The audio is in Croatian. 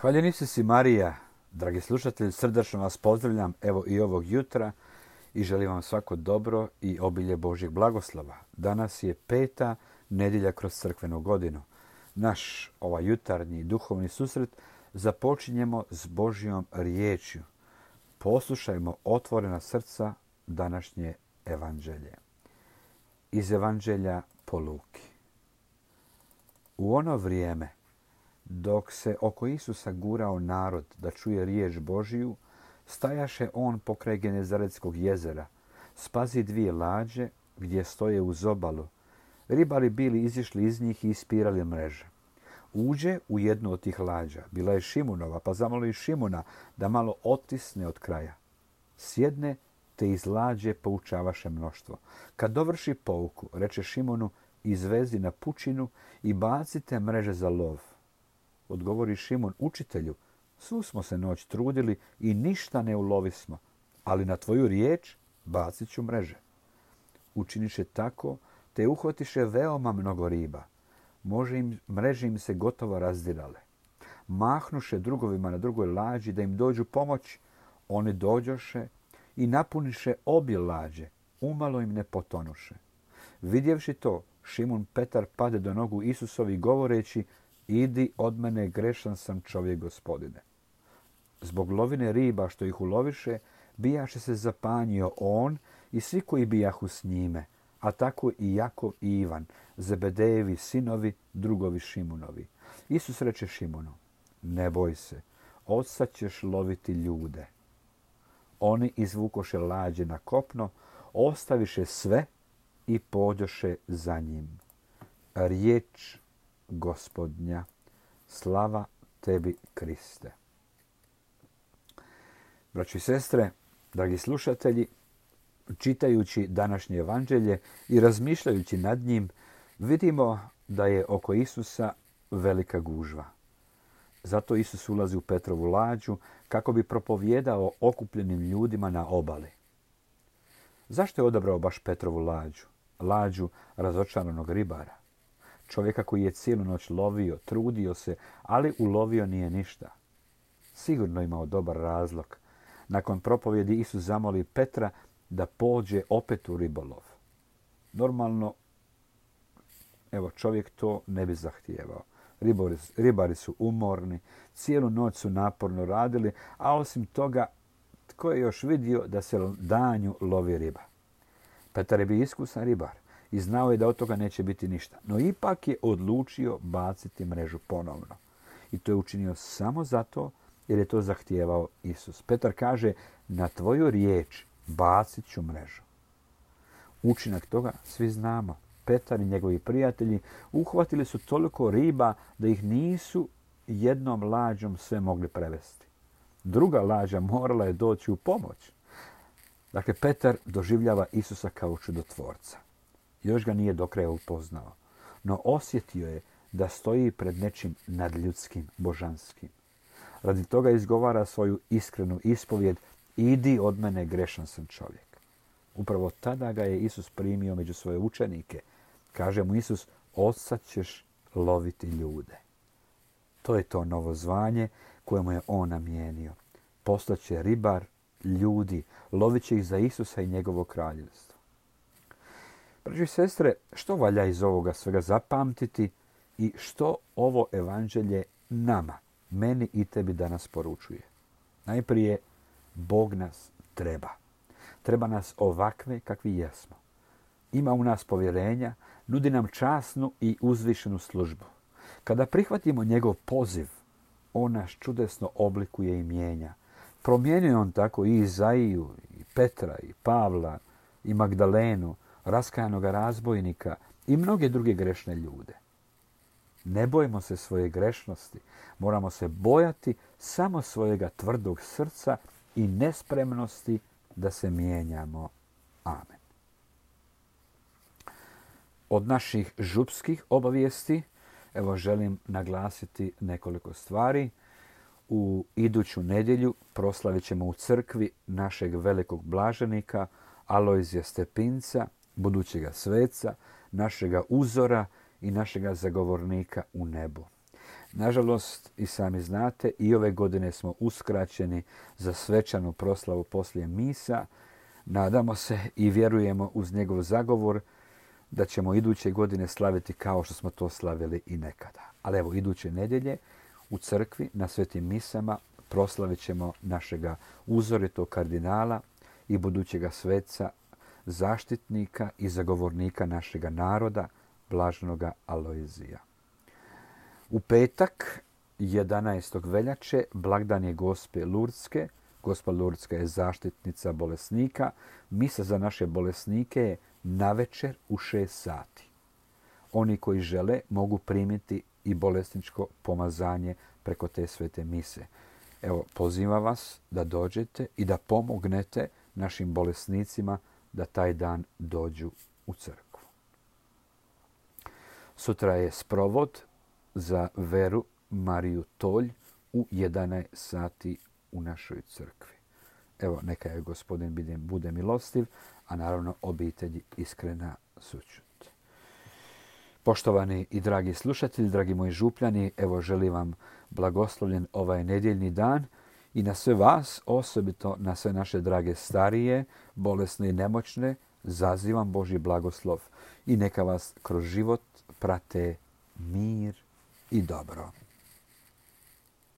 Hvaljeni si Marija, dragi slušatelji, srdačno vas pozdravljam evo i ovog jutra i želim vam svako dobro i obilje Božjeg blagoslova. Danas je 5. nedjelja kroz crkvenu godinu. Naš ovaj jutarnji duhovni susret započinjemo s Božjom riječju. Poslušajmo otvorena srca današnje evanđelje. Iz evanđelja po Luki. U ono vrijeme, dok se oko Isusa gurao narod da čuje riječ Božiju, stajaše on pokraj Genezaretskog jezera, spazi 2 lađe gdje stoje uz obalu. Ribari bili izišli iz njih i ispirali mreže. Uđe u jednu od tih lađa, bila je Šimunova, pa zamoli Šimuna da malo otisne od kraja. Sjedne te iz lađe poučavaše mnoštvo. Kad dovrši pouku, reče Šimunu, izvezi na pučinu i bacite mreže za lov. Odgovori Šimun, učitelju, svu smo se noć trudili i ništa ne ulovismo, ali na tvoju riječ bacit ću mreže. Učiniše tako, te uhvatiše veoma mnogo riba. Mreže im se gotovo razdirale. Mahnuše drugovima na drugoj lađi da im dođu pomoć. Oni dođoše i napuniše obje lađe, umalo im ne potonuše. Vidjevši to, Šimun Petar pade do nogu Isusovi govoreći, idi od mene, grešan sam čovjek, Gospodine. Zbog lovine riba što ih uloviše, bijaše se zapanjio on i svi koji bijahu s njime, a tako i Jakov i Ivan, Zebedejevi sinovi, drugovi Šimunovi. Isus reče Šimunu, ne boj se, odsad ćeš loviti ljude. Oni izvukoše lađe na kopno, ostaviše sve i pođoše za njim. Riječ Gospodnja, slava tebi, Kriste. Braćo i sestre, dragi slušatelji, čitajući današnje evanđelje i razmišljajući nad njim, vidimo da je oko Isusa velika gužva. Zato Isus ulazi u Petrovu lađu kako bi propovijedao okupljenim ljudima na obali. Zašto je odabrao baš Petrovu lađu? Lađu razočaranog ribara. Čovjeka koji je cijelu noć lovio, trudio se, ali ulovio nije ništa. Sigurno imao dobar razlog. Nakon propovjedi Isus zamoli Petra da pođe opet u ribolov. Normalno, čovjek to ne bi zahtijevao. Ribari su umorni, cijelu noć su naporno radili, a osim toga, tko je još vidio da se danju lovi riba? Petar je bio iskusan ribar i znao je da od toga neće biti ništa. No ipak je odlučio baciti mrežu ponovno. I to je učinio samo zato jer je to zahtijevao Isus. Petar kaže, na tvoju riječ bacit ću mrežu. Učinak toga svi znamo. Petar i njegovi prijatelji uhvatili su toliko riba da ih nisu jednom lađom sve mogli prevesti. Druga lađa morala je doći u pomoć. Dakle, Petar doživljava Isusa kao čudotvorca. Još ga nije do kraja upoznao, no osjetio je da stoji pred nečim nadljudskim, božanskim. Radi toga izgovara svoju iskrenu ispovjed, idi od mene, grešan sam čovjek. Upravo tada ga je Isus primio među svoje učenike. Kaže mu Isus, odsad ćeš loviti ljude. To je to novo zvanje kojemu je on namijenio. Postaće ribar ljudi, lovit će ih za Isusa i njegovo kraljevstvo. Braćo i sestre, što valja iz ovoga svega zapamtiti i što ovo evanđelje nama, meni i tebi danas poručuje? Najprije, Bog nas treba. Treba nas ovakve kakvi jesmo. Ima u nas povjerenja, nudi nam časnu i uzvišenu službu. Kada prihvatimo njegov poziv, on nas čudesno oblikuje i mijenja. Promijenio on tako i Izaiju, i Petra, i Pavla, i Magdalenu, raskajanoga razbojnika i mnoge druge grešne ljude. Ne bojimo se svoje grešnosti, moramo se bojati samo svojega tvrdog srca i nespremnosti da se mijenjamo. Amen. Od naših župskih obavijesti, želim naglasiti nekoliko stvari. U iduću nedjelju proslavit ćemo u crkvi našeg velikog blaženika Alojzija Stepinca, budućega sveca, našega uzora i našega zagovornika u nebu. Nažalost, i sami znate, i ove godine smo uskraćeni za svečanu proslavu poslije misa. Nadamo se i vjerujemo uz njegov zagovor da ćemo iduće godine slaviti kao što smo to slavili i nekada. Ali evo, iduće nedjelje u crkvi na svetim misama proslavit ćemo našega uzoritog kardinala i budućega sveca, zaštitnika i zagovornika našega naroda, blaženoga Alojzija. U petak, 11. veljače, blagdan je Gospe Lurdske. Gospa Lurdska je zaštitnica bolesnika. Misa za naše bolesnike je navečer u 6 sati. Oni koji žele mogu primiti i bolesničko pomazanje preko te svete mise. Evo, pozivam vas da dođete i da pomognete našim bolesnicima da taj dan dođu u crkvu. Sutra je sprovod za Veru Mariju Tolj u 11 sati u našoj crkvi. Evo, neka je Gospodin bude milostiv, a naravno obitelji iskrena sućut. Poštovani i dragi slušatelji, dragi moji župljani, evo želim vam blagoslovljen ovaj nedjeljni dan i na sve vas, osobito na sve naše drage starije, bolesne i nemoćne, zazivam Božji blagoslov i neka vas kroz život prate mir i dobro.